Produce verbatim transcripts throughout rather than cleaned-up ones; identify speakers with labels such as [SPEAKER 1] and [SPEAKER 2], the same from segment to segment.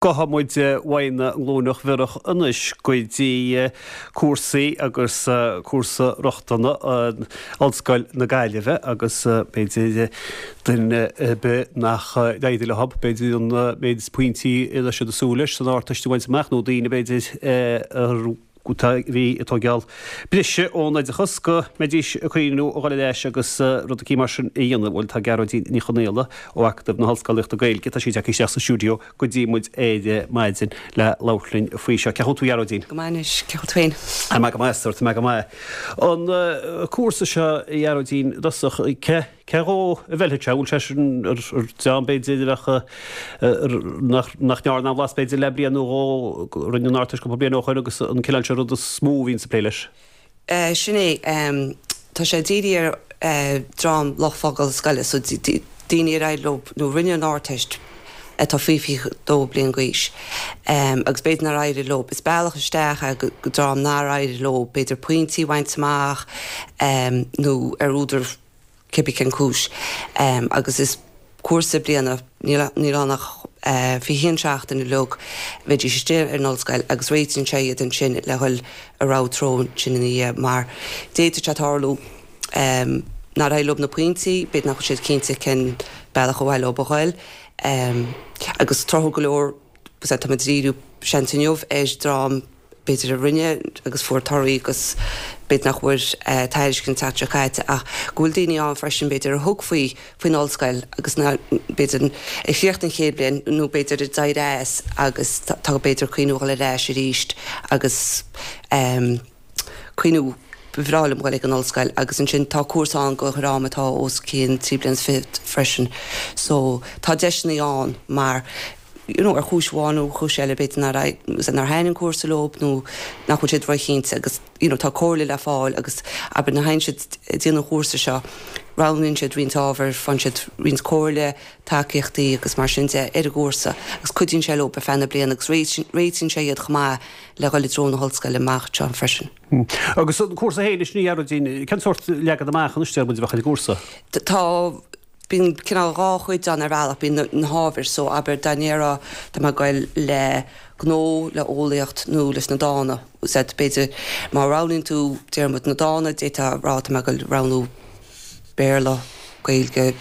[SPEAKER 1] Gabhfaidh muid uaidh na nGlúineach Bhiorach anois go dtí cúrsaí agus cúrsa rochtana Ollscoil na Gaillimhe agus b'fhéidir duine ar bith nach d'éirigh leo, b'fhéidir an méid pointí a raibh siad ag súil leis san Ardteist a bhaint amach nó daoine b'fhéidir a bhí ag tógáil briseadh ón oideachas go mbeidís ag cuimhniú a dhul ar ais agus rud eicínt mar sin a dhéanamh. Bhuel tá Gearóidín Ní Chonaola ó Acadamh na hOllscolaíochta Gaeilge, tá sí tagtha isteach sa stiúideo go dtí muid ar maidin le labhairt linn faoi seo. Cén chaoi a bhfuil tú a Ghearóidín?
[SPEAKER 2] Go maith anois, cén chaoi a bhfuil tú féin?
[SPEAKER 1] Tá mé go maith, tá mé go maith. An cúrsa seo a Ghearóidín, i dtosach, cé cé dhó a bhfeilfidh sé? Bhfuil sé sin ar dream b'fhéidir a bheadh nach nach ndearna aon bhlas b'fhéidir le bliain nó dhó, rinne an Ardteist cúpla bliain ó shoin agus an cineál seo rud is mó a bhíonns ag plé leis?
[SPEAKER 2] Sin é. Tá sé dírithe ar dream lucht fágála scoile, so daoine ar éirigh leo nó rinne an Ardteist atá faoi fiche dó bliain d'aois agus b'fhéidir nár éirigh leo. Is bealach isteach é go dream nár éirigh leo b'fhéidir pointí a bhaint amach nó ar údar cibé cén cúis agus is cúrsa bliana, níl níl ann ach fiche haon seachtain uilig, bheidís istigh ar an ollscoil agus réitíonn sé iad ansin le dhul a rogha treo ansin ina dhiaidh mar d'fhéadfadh sé tarlú nár éirigh leo na pointí, b'fhéidir nach bhfuil siad cinnte cén bealach ar mhaith leo a dhul agus tráthúil go leor táimid ag díriú seans inniu ar dream b'fhéidir a rinne agus fuair torthaí agus b'fhéidir nach bhfuair tairiscint an tseachtain seo caite ach go bhfuil daoine ann freisin b'fhéidir a thug faoi faoin ollscoil agus ná b'fhéidir a chríochnaigh an chéad bhliain nó b'fhéidir a d'éirigh as agus tá b'fhéidir cuimhniú dhul ar ais arís agus cuimhniú ba bhreá liom dhul ag an ollscoil agus ansin tá cúrsa ann go dhream atá os cionn trí bliana is fiche freisin so tá deiseanna ann mar you know ar chúis amháin nó chúis eile b'fhéidir nár nár thaitin an cúrsa leo nó nach bhfuil siad róchinnte agus you know tá comhairle le fáil agus abair nuair a théann siad ag déanamh an chúrsa seo roghnaíonn siad roinnt ábhar faigheann siad roinnt comhairle tacaíochtaí agus mar sin de ar an gcúrsa agus cuidíonn sé leo ar feadh na bliana agus réitíonn sé iad chomh maith le dhul i dtreo na hollscoile amach anseo freisin.
[SPEAKER 1] Agus an cúrsa féin anois a Ghearóidín, cén sórt leagan amach anois deir muid a bheadh ar an gcúrsa?
[SPEAKER 2] Tá Bíonn cineál dhá chuid ann ar bhealach, bíonn na hábhair, so abair dá ndéarfá tá mé ag goil le gnó, le eolaíocht nó leis na dána, said b'fhéidir má roghnaíonn tú déarfaidh muid na dána, d'fhéadfá a rá tá mé ag goil roghnú Béarla, Gaeilge,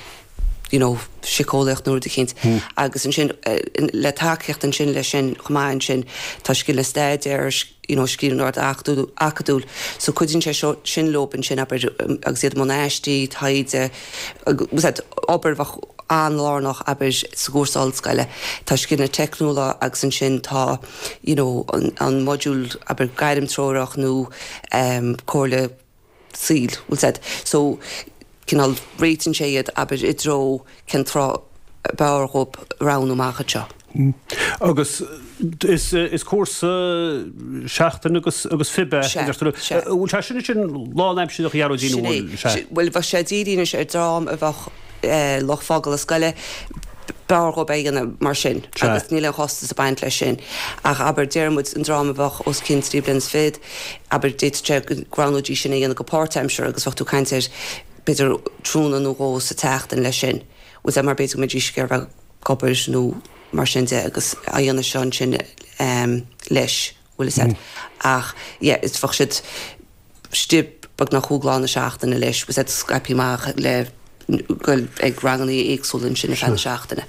[SPEAKER 2] you know síceolaíocht nó rud eicínt. Agus ansin le tacaíocht ansin leis sin chomh maith ansin tá scileanna staidéir, you know scríbhneoireacht acadúil so cuidíonn sé seo sin leo ansin abair agus iad i mbun aistí, taighde, agus obair a bheadh an-lárnach abair sa gcúrsa ollscoile. Tá scileanna teicniúla agus ansin tá you know an an modúl abair gairmtreorach nó um comhairle saoil, bhfuil 's a'd. So cineál réitíonn sé iad abair i dtreo cén treo ab fhearr dhóibh roghnú amach anseo.
[SPEAKER 1] Agus is is cúrsa seachtain agus agus fiche é,
[SPEAKER 2] Sea,
[SPEAKER 1] a deir tú.
[SPEAKER 2] sea.
[SPEAKER 1] Bhfuil sé sin ansin lánaimsearach a Ghearóidín
[SPEAKER 2] Sin
[SPEAKER 1] nó
[SPEAKER 2] é.
[SPEAKER 1] bhfuil sé?
[SPEAKER 2] Bhuel bheadh sé dírithe anois ar dream a bheadh lucht fágála scoile, b'fhearr dhóibh é a dhéanamh mar sin
[SPEAKER 1] Sea.
[SPEAKER 2] agus níl aon chostas ag baint leis sin. Ach abair déarfaidh muid an dream a bheadh os cionn trí bliana is fichead, abair d'fhéadfadh sé go roghnóidís sin a dhéanamh go páirtaimseartha agus bheadh tú ag caint ar b'fhéidir tráthnóna nó dhó sa tseachtain leis sin. Bhfuil 's a'd mar b'fhéidir go mbeidís ag iarraidh bheith ag obair nó mar sin de agus á dhéanamh seo ansin leis, bhfuil 'fhios a'd. Ach yeah, is bheadh siad istigh beagnach cúig lá na seachtaine leis, bhfuil 's a'd, scaipthe amach le goil ag ranganna éagsúla ansin ar feadh na seachtaine.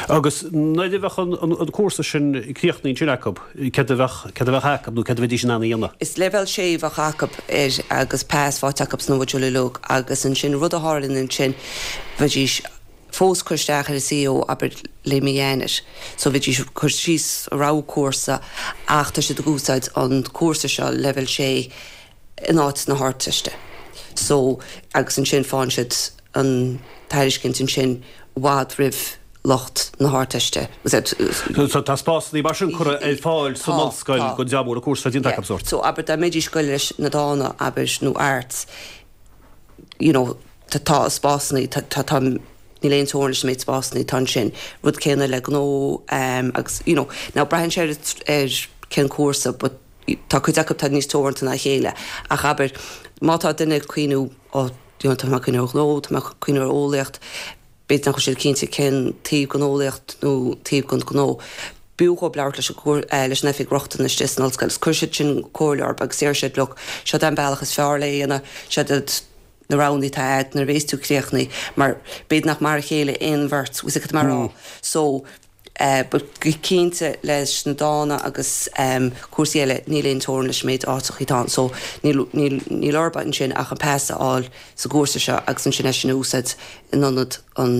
[SPEAKER 1] Agus nuair a bheadh an cúrsa sin críochnaithe ansin acu, céard a bheadh, céard a bheadh acu nó céard a bheidís in ann a dhéanamh?
[SPEAKER 2] Is leibhéal sé a bheadh acu air agus pas faighte acu sna modúil uilig agus ansin rud a tharlaíonn ansin bheidís fós cur isteach ar an C A O abair le mí Eanáir so bheidís ag cur síos a rogha cúrsa ach tá siad ag úsáid an cúrsa seo leibhéal sé in áit na hArdteiste so agus ansin faigheann siad an tairiscint ansin i bhfad roimh lucht na hArdteiste.
[SPEAKER 1] So tá spásanna mar sin curtha ar fáil san
[SPEAKER 2] Tá,
[SPEAKER 1] ollscoil
[SPEAKER 2] tá.
[SPEAKER 1] don dream a bhfuil an cúrsa déanta
[SPEAKER 2] Yeah.
[SPEAKER 1] acu sórt.
[SPEAKER 2] So abair dá mbeidís ag goil leis na dána abair nó arts you know tá tá spásanna tá tá tá níl aon teorainn leis an méid spásanna atá ansin. Rud céanna le gnó um, agus you know now braitheann sé ar ar cén cúrsa but tá cuid acu atá níos teoranta ná a chéile ach abair má tá duine ag cuimhniú ó you know, tá mé ag cuimhniú ar ghnó, tá mé ag cuimhniú ar eolaíocht, b'fhéidir nach bhfuil siad cinnte cén taobh den eolaíocht nó taobh den ghnó. B'fhiú dhóibh labhairt leis an leis an oifig rochtana istigh san ollscoil agus cuirfidh siad sin comhairle orthu agus déarfaidh siad look seo an bealach is fearr le dhéanamh seo iad na roghanna atá agat nuair a bhéas tú críochnaithe mar b'fhéidir nach mar a chéile aon bheirt bhfuil a fhios agat mar rá so eh, but go cinnte leis na dána agus um, cúrsaí eile níl aon teorainn leis an méid áiteacha atá ann so níl níl níl orthu ansin ach an pas a fháil sa gcúrsa seo agus ansin é sin a úsáid in ionad an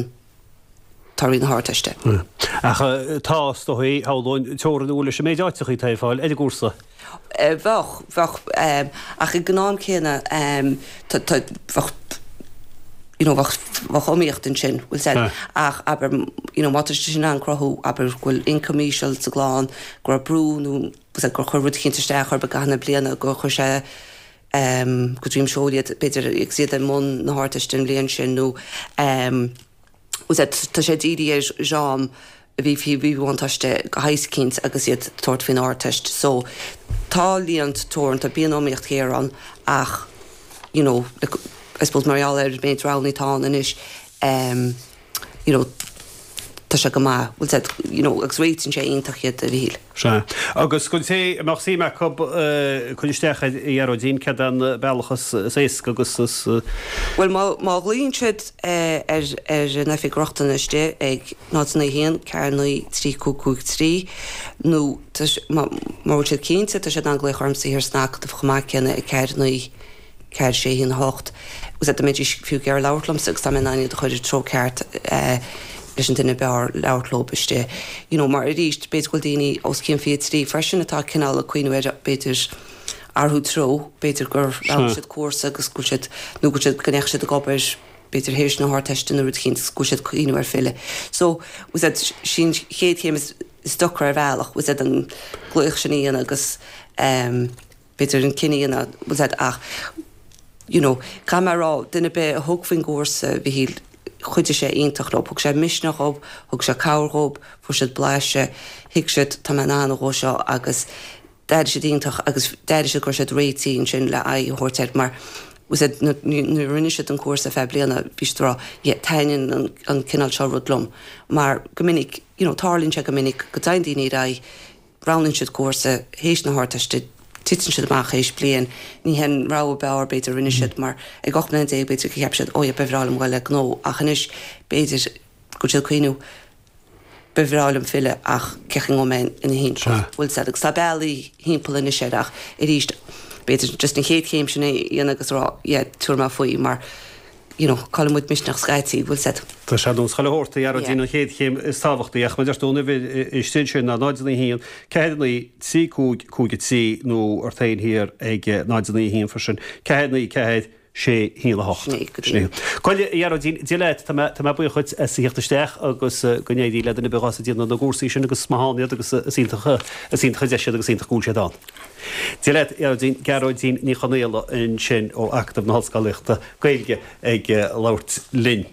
[SPEAKER 2] torthaí na hArdteiste.
[SPEAKER 1] Ach tá stoí háin teorainn leis an méid áiteacha atá ar fáil ar an gcúrsa.
[SPEAKER 2] Eh, Bheadh bheadh um, ach ag an am céanna um, bheadh you know, bheadh bheadh iomaíocht ansin bhfuil said
[SPEAKER 1] Ah.
[SPEAKER 2] ach abair you know, má tá sin an cruthú abair go bhfuil income íseal sa gclann go raibh brú nó bhfuil said gur chuir rud eicínt isteach ar gach na bliana gur chuir sé um, go dream seoliad b'fhéidir ag siad i mbun na hArdteiste an bhliain sin nó um, bhfuil said tá sé dírithe ar dream a bhí faoi mhíbhuntáiste go háirithe agus iad tabhairt faoin Ardteist. So tá líon teoranta bíonn iomaíocht ghéar ann ach you know, like, I suppose mar gheall ar méid roghanna atá ann anois um, you know, tá sé go maith bhfuil said you know, agus réitíonn sé iontach iad a bhíl.
[SPEAKER 1] Se. Agus go té amach sí acu chun isteach a Ghearóidín cad an bealach is éasca agus is
[SPEAKER 2] Well má má ghlaonn siad eh, ar ar an oifig rochtana istigh ag náid naoi haon ceathair naoi trí cúig cúig trí nó tá sé- má má bhfuil siad cinnte tá siad in ann glaoch ormsa thiar san Acadamh chomh maith céanna ag ceathair naoi ceathair sé haon hocht. Agus dá mbeidís fiú ag iarraidh labhairt liomsa agus tá mé in ann iad a chur i treo ceart eh, leis an duine b'fhearr labhairt leo istigh. You know, mar arís b'fhéidir go bhfuil daoine os cionn fiche trí freisin atá cineál ag cuimhneamh ar b'fhéidir athrú treo, b'fhéidir gur roghnaigh siad cúrsa agus go bhfuil siad nó go bhfuil siad go ndeachaigh siad ag obair b'fhéidir théis na hArdteiste nó rud eicínt go bhfuil siad ag cuimhneamh ar filleadh. So bhfuil said sin chéad chéim is is deacra ar bhealach, bhfuil said an glaoch sin a dhéanamh agus um, b'fhéidir an cinneadh a dhéanamh bhfuil said ach you know, caithfidh mé a rá duine ar bith a thug faoin gcúrsa bhí chuidigh sé iontach leo, thug sé misneach dhóibh, thug sé cabhair dhóibh, fuair siad blaiseadh, thuig siad tá mé in ann a dhó seo agus d'éirigh siad iontach agus d'éirigh siad go raibh siad réitithe ansin le aghaidh a thabhairt air mar was it nuair a rinne siad an cúrsa feadh bliana bhí siad ag rá yeah, taitníonn an, an cineál seo rud liom mar go minic you know, tarlaíonn sé go minic go dtéann daoine ar aghaidh roghnaíonn siad cúrsa théis na hArdteiste titeann siad amach théis bliain ní hen rogha b'fhearr b'fhéidir rinne siad mar ag ocht mbliana déag b'fhéidir go cheap siad ó ba bhreá liom dul le gnó ach anois b'fhéidir go bhfuil siad ag cuimhneamh ba bhreá liom filleadh ach cén chaoi mé ina thimpeall bhfuil said agus tá bealaí thimpeall anois air ach arís b'fhéidir just an chéad chéim sin é dhéanamh agus rá yeah, tabhair mé faoi mar you know, cailleann muid misneach scaití bhfuil said.
[SPEAKER 1] Tá sé don scoil hórta Ghearóidín
[SPEAKER 2] Yeah.
[SPEAKER 1] an chéad chéim is tábhachtaí ach mar dúirt uimhir istigh sin ná náid naoi haon ceathair naoi trí cúig cúig trí nó ort féin thiar ag náid naoi haon freisin ceathair naoi ceathair sé haon a hocht.
[SPEAKER 2] Sin é, go dtí.
[SPEAKER 1] Coille Ghearóidín Dia leat tá mé tá mé buíoch as a theacht isteach agus eh, go n-éirí le duine ar bith a déanann na cúrsaí sin agus má théann iad agus eh, is iontach is iontach an deis iad agus iontach go bhfuil siad ann. Dia leat Ghearóidín Gearóidín Ní Chonaola ansin ó Acadamh na hOllscolaíochta Gaeilge ag eh, labhairt linn.